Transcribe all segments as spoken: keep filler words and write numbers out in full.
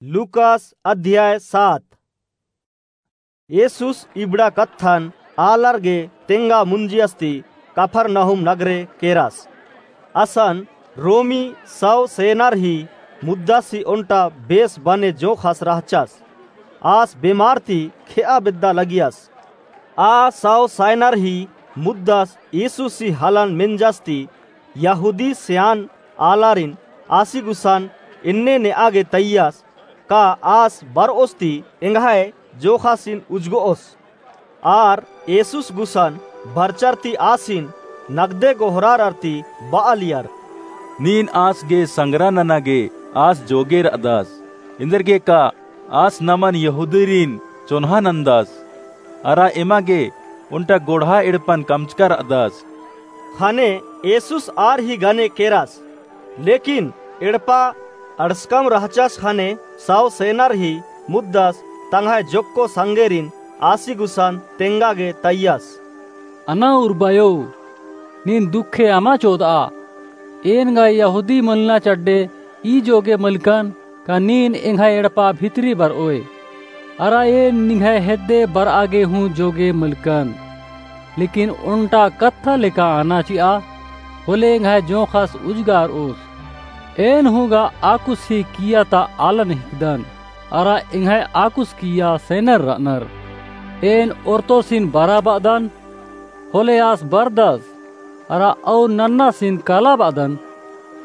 लूकास अध्याय सात। येसुस इबड़ा कत्थन आलर गे तेंगा मुंजियस ती कफरनहूम नगरे केरस। असन रोमी सौ सेनर ही मुद्दस ही ओन्टा बेस बने जोंख़स रहचस। आस बेमार ती खेआ बेद्दा लगियस। आ सौ सेनर ही मुद्दस येसुस ही हलन मेंजस ती यहूदी स्यान आलारिन आसी गुसन एन्ने नेआ गे तइयस का आस बरओस ती एंग्है जोंख़ासिन उजगओस। आर येसुस गुसन बरचर ती आसिन नगदे गोहरारर ती बआलियर। नीन आस गे संगरा नना गे आस जोगे रअदस। एन्देरगे का आस नमन यहूदीरिन चोन्हा नन्दस। अरा एमा गे ओन्टा गोड़हा एड़पन कमचका रअदस। ख़ने येसुस आर ही गने केरस। लेकिन एड़पा अंड़सकम रहचस ख़ने सौ सेनर ही मुद्दस तंग्है जोक्को संगेरिन आसी गुसन तेंगा गे तइयस। अना उर्बायो, नीन दुखे अमा चोदआ। एन गा यहूदी मलना चड्डे ई जोगे मलकन का नीन एंग्है एड़पा भितरी बरओय। अरा एन निंग्है हेद्दे बरआ गे हूँ जोगे मलकन। लेकिन ओन्टा कत्था लेखा अना चिआ, होले एंग्है जोंख़स उजगारओस। एन हूँ गा आकुस ही किया ता आलन हिकदन, अरा एंग्है आकुस किया सेनर रअनर। एन ओर्तोसिन बरा बअदन, होले आस बरदस, अरा अउर नन्नासिन काला बअदन,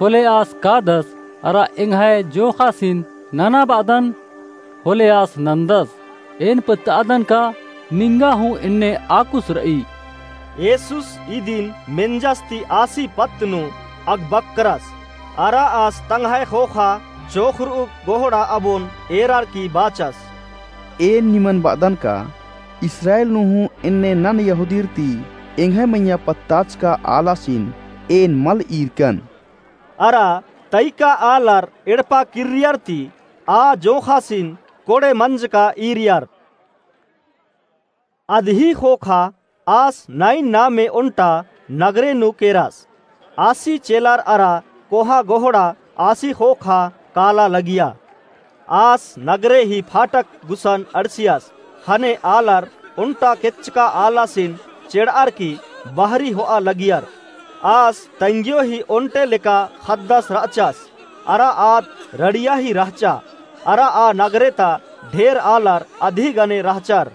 होले आस कादस, अरा एंग्है जोंख़ासिन नना बअदन, होले आस नन्दस। एन पत्तअदन का निंगा हूँ एन्ने आकुस रई। येसुस इदिन मेंजस ती आसी पत्त नू अगबक्करस, अरा आस तंग्है ख़ोख़ा चोख़रऊ गोहड़ा अबोन एरर की बाचस। एन निमन बअदन का इस्राएल नू हूँ एन्ने नन यहूदीर ती एंग्है मइय्याँ पत्ताचका आलासिन एन मल ईरकन। अरा तइका आलर एड़पा किर्रियर ती आ जोंख़ासिन कोड़े मंजका ईरियर। अदही ख़ोख़ा आस नाइन नामे ओन्टा नगरे नू केरस। आसी चेलर अरा कोहा गोहड़ा आसी ख़ोख़ा काला लगिया। आस नगरे ही फाटक गुसन अंड़सियस, ख़ने आलर ओन्टा केच्चका आलासिन चेड़अर की बहरी होआ लगियर। आस तंग्यो ही ओन्टे लेका ख़द्दस रहचस, अरा आद रड़िया ही रहचा, अरा आ नगरे ता ढेर आलर अदही गने रहचर।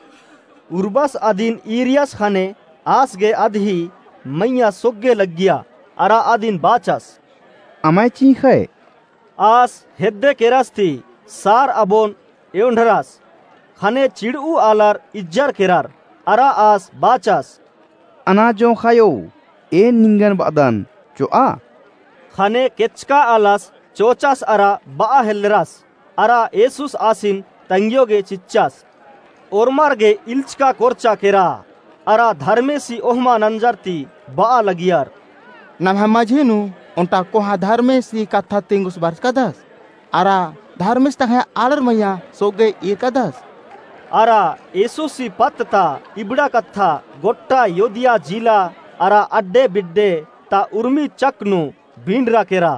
उर्बस अदिन ईरियस ख़ने आस गे अदही मइय्याँ सोग्गे लग्गिया, अरा अदिन बाचस, अमय चींख़य। आस हेद्दे केरस ती सार अबोन एवंढरस, ख़ने चिड़ऊ आलर इज्जर केरर, अरा आस बाचस, अना जोंख़ायो, एन निंगन बअदन, चोआ। ख़ने केच्चका आलस चोचस अरा बआ हेल्लरस। अरा येसुस आसिन तंग्यो गे चिच्चस, ओर्मर गे इल्चका कोरचा केरा। अरा धर्मेसी ओहमा नंजर ती बआ लगियर, नम्है मझी नू ओन्टा कोहाँ धर्मेसी कत्था तिंगुस बरचकदस, अरा धर्मेस तंग्है आलर मइय्याँ सोग्गे ईरकदस। अरा येसुसी पत्त ता इबड़ा कत्था गोट्टा योदिया जिला अरा अड्डे बिड्डे ता उर्मी चक नू बिंडरा केरा।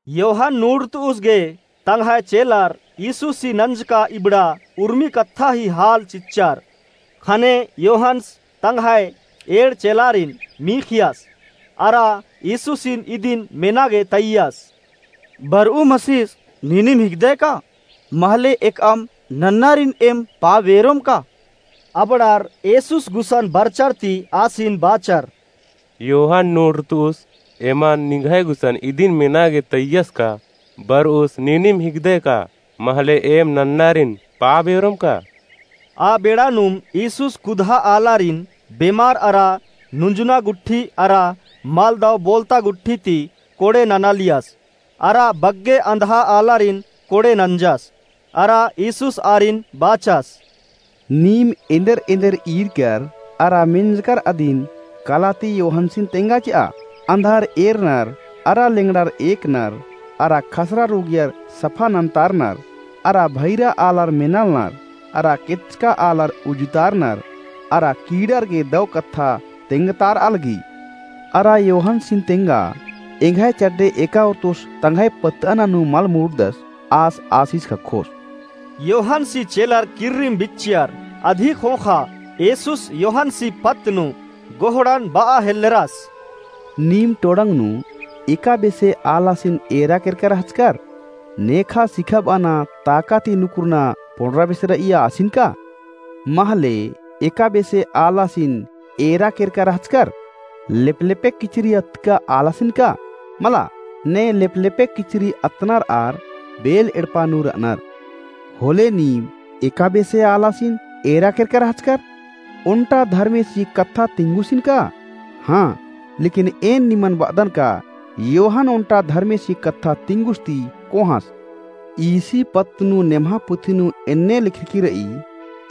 योहन नूड़तुस गे तंग्है चेलर येसुसी नंजका इबड़ा उर्मी कत्था ही हाल चिच्चर। ख़ने योहन्स तंग्है एंड़ चेलारिन मीख़ियस, अरा येसुसिन इदिन मेना गे तइयस, बरऊ मसीस नीनिम हिकदय का? महले एकअम नन्नारिन एम पाबेरोम का? अबड़ार येसुस गुसन बरचर ती आसिन बाचर, योहन नूड़तुस एमन निंग्है गुसन इदिन मेना गे तइयस का, बरउस नीनिम हिकदय का, महले एम नन्नारिन पाबेरोम का? आ बेड़ा नुम येसुस कुदहा आलारिन, बेमार अरा नुंजना गुट्ठी अरा मलदव बोलता गुट्ठी ती कोड़े ननालियस। अरा बग्गे अंधआ आलारिन कोड़े नंजस। अरा येसुस आरिन बाचस, नीम एन्देर एन्देर ईरकर अरा मेंजकर अदिन कला ती योहन्सिन तेंगा चिआ? अंधार एरनर, अरा लेंगड़ार एकनर, अरा खसरा रोगियर सफा नन्तारनर, अरा भैरा आलर मेनालनर, अरा केच्चका आलर उजुतारनर, अरा कीड़ार गे दव कत्था तेंगतारआ लगी। अरा योहन्सिन तेंगा, एंग्है चड्डे एका ओर्तुस तंग्है पत्तअना नू मल मुड़दस, आस आसिस ख़क्खोस।" योहन्सी चेलर किर्रिम बिच्चियर। अदी ख़ोख़ा येसुस योहन्सी पत्त नू गोहड़न बआ हेल्लरस। नीम टोड़ंग नू एका बेसे आलासिन एरा केरका रहचकर? नेखा सिखाबअना ताका ती नुकुरना पोंड़रा बेसे रइया आसिन का? महले एका बेसे आलासिन एरा केरका रहचकर? लेपलेपे किचरी अतका आलासिन का? मला, ने लेपलेपे किचरी अतनर आर बेल एड़पा नू रअनर। होले नीम एका बेसे आलासिन एरा केरका रहचकर? ओन्टा धर्मेसी कत्था तिंगुसिन का? हाँ, लेकिन एन निमन बअदन का, योहन ओन्टा धर्मेसी कत्था तिंगुस ती कोहाँस। ईसी पत्त नू नेम्हा पुथी नू एन्ने लिखरकी रई,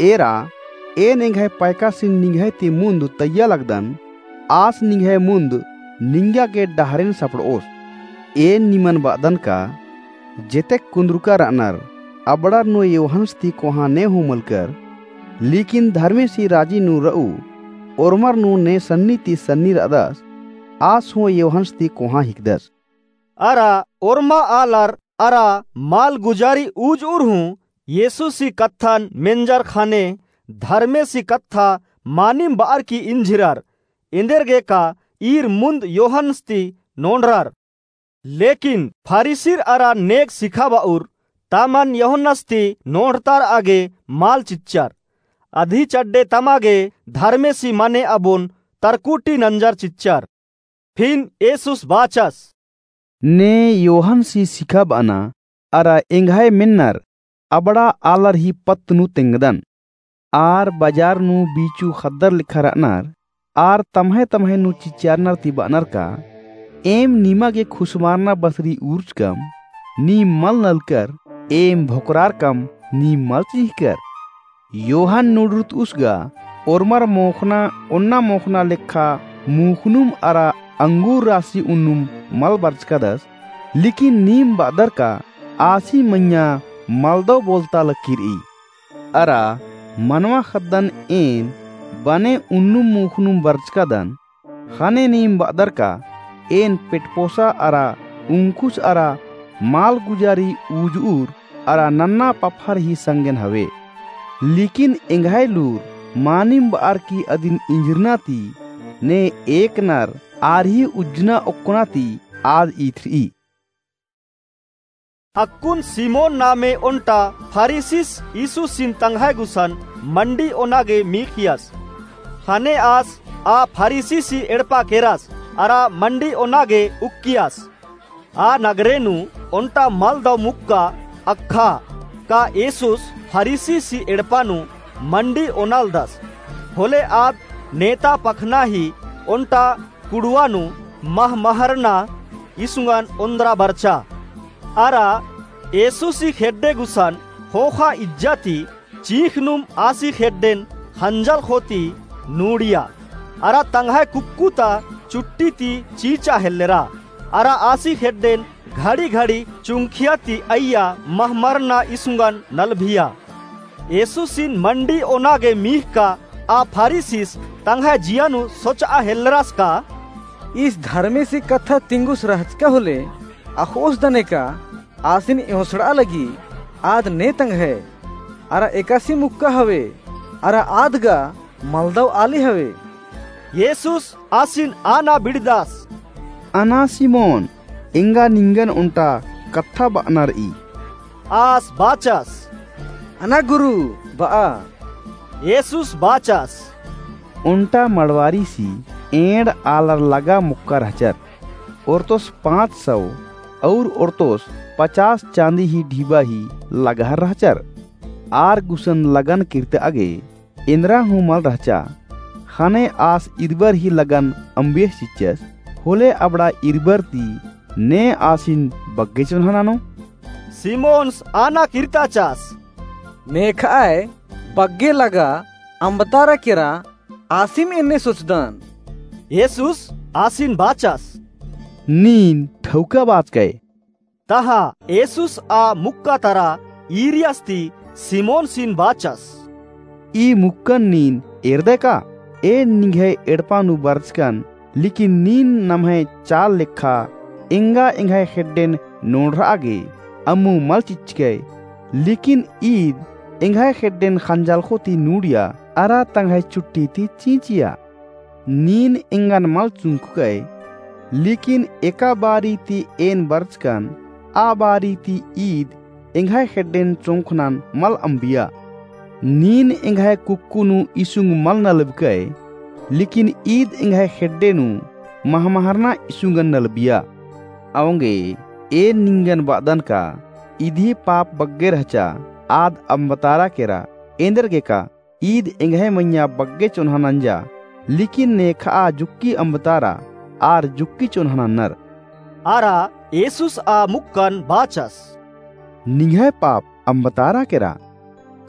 एरा, एन एंग्है पैकासिन निंग्है ती मुन्द तइय्या लगदन, आस निंग्है मुन्द निंगा गे डहरेन सपड़ओस। एन निमन बअदन का, जेतेक कुन्दुरका रअनर, अबड़र नू योहन्स ती कोहाँ ने हूँ मलकर, लेकिन धर्मेसी राजी नू रऊ ओर्मर नू ने सन्नी ती सन्नी रअदस, आस हूँ योहन्स ती कोहाँ हिकदस। अरा ओर्मा आलर अरा मालगुजारी उजुर हूँ येसुसी कत्थन मेंजर ख़ने धर्मेसी कत्था मानिम बअर की इंझिरर, एन्देरगे का ईर मुन्द योहन्स ती नोंड़रर। लेकिन फरीसिर अरा नेग सिखाबउर तमन योहन्स ती नोंड़तारआ गे माल चिच्चर। अदी चड्डे तमा गे धर्मेसी मने अबोन तरकुटी नंजर चिच्चर। फिन येसुस बाचस, ने योहन्सी सिखाबअना अरा एंग्है मेन्नर अबड़ा आलर ही पत्त नू तेंगदन। आर बजार नू बीचू ख़द्दर लेखा रअनर, आर तम्है तम्है नू चिचियारनर ती बअनर का, एम निमा गे खुसमारना बसरी उर्चकम, नीम मल नलकर, एम भोकरारकम, नीम मल चिंहिकर। योहन नुड़ुरतउस गा, ओर्मर मोख़ना ओन्ना मोख़ना लेखा मूख़नुम अरा अंगूर रासी उन्नुम मल बरचकादस, लेकिन नीम बअदर का आसी मइय्याँ मलदव बोलता लक्की रई। अरा मनवा ख़द्दन एन बने उन्नुम मूख़नुम बरचकादन, ख़ने नीम बअदर का एन पेटपोसा अरा उंखुस अरा मालगुजारी उजुर अरा नन्ना पफर ही संगेन हवे। लेकिन एंग्है लूर मानिम बअर की अदिन इंझिरना ती ने एकनर आर ही उज्जना ओक्कना ती आद ईथरई। अक्कुन सिमोन नामे ओन्टा फरीसिस यीशुसिन तंग्है गुसन मंडी ओना गे मीख़ियस। ख़ने आस आ फरीसिसी एड़पा केरस अरा मंडी ओना गे उक्कियस। आ नगरे नू ओन्टा मलदव मुक्का अख़ा का येसुस फरीसिसी एड़पा नू मंडी ओनालदस। होले आद नेता पखना ही ओन्टा कुड़ुवा नू महमहरना इसुंगन ओन्द्रा बरचा। अरा येसुसी खेड्डे गुसन ख़ोख़ा इज्जा ती चींख़नुम आसी खेड्डेन ख़ंजल ख़ोती नूड़िया। अरा तंग्है कुक्कु ता चुट्टी ती चींचा हेल्लेरा। अरा आसी खेड्डेन घड़ी घड़ी चुंखिया ती अइया महमरना इसुंगन नलभिया। येसुसिन मंडी ओना गे मीख़का आ फरीसिस तंग्है जिया नू सोचआ हेल्लरस का, ईस धर्मेसी कत्था तिंगुस रहचका होले अख़ओस दने का आसिन एवंसड़आ लगी आद ने तंग्है, अरा एकासे मुक्का हवे, अरा आद गा मलदव आली हवे। येसुस आसिन आना बिड़दस, अना सिमोन, एंगा निंगन ओन्टा कत्था बअना रई। आस बाचस, अना गुरु, बआ। येसुस बाचस, ओन्टा मड़वारीसी एंड़ आलर लगा मुक्का रहचर। ओर्तोस पाँच सौ और ओर्तोस पचास चाँदी ही ढिबा ही लगाहर रहचर। आर गुसन लगन किर्तआ गे एन्दरा हूँ मल रहचा। ख़ने आस इरबर ही लगन अम्बेस चिच्चस, होले अबड़ा इरबर ती ने आसिन बग्गे चोन्हा ननो? सिमोनस आना किर्ताचस, नेखअय बग्गे लगा अम्बतारा केरा आसिम एन्ने सोचदन। येसुस आसिन बाचस, नीन ठौका बाचकय। तहाँ येसुस आ मुक्का तरा ईरियस ती सिमोनसिन बाचस, ई मुक्कन नीन एरदय का? एन निंग्है एड़पा नू बरचकन, लेकिन नीन नम्है चाल लेखा एंगा एंग्है खेड्डेन नोड़रआ गे अम्मु मल चिच्चकय, लेकिन ईद एंग्है खेड्डेन खंजालखो ती नूड़िया, अरा तंग्है चुट्टी ती चींचिया। नीन एंगन मल चुंगकय, लेकिन एका बारी ती एन बरचकन, आ बारी ती ईद एंग्है खेड्डेन चोंखनन मल अम्बिया। नीन एंग्है कुक्कु नू इसुंग मल नलबकय, लेकिन ईद एंग्है खेड्डे नू महमहरना इसुंगन नलबिया। औंगे एन निंगन बअदन का, इदी पाप बग्गे रहचा, आद अम्बतारा केरा, एन्देरगे का ईद एंग्है मइय्याँ बग्गे चोन्हा नंजा, लेकिन नेखआ जुक्की अम्बतारा आर जुक्की चोन्हा नन्नर। अरा येसुस आ मुक्कन बाचस, निंग्है पाप अम्बतारा केरा।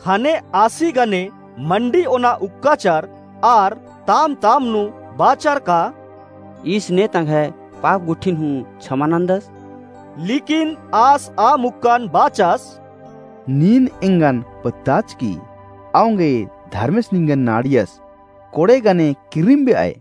खने आसी गने मंडी ओना उक्काचर आर ताम ताम नू बाचर का, ईस ने तंग्है पाप गुट्ठिन हूँ छमा नन्दस। लेकिन आस आ मुक्कन बाचस, नीन एंगन पत्ताचकी, औंगे धर्मेस निंगन नाड़ियस, कोड़े गने किर्रिम बेअय।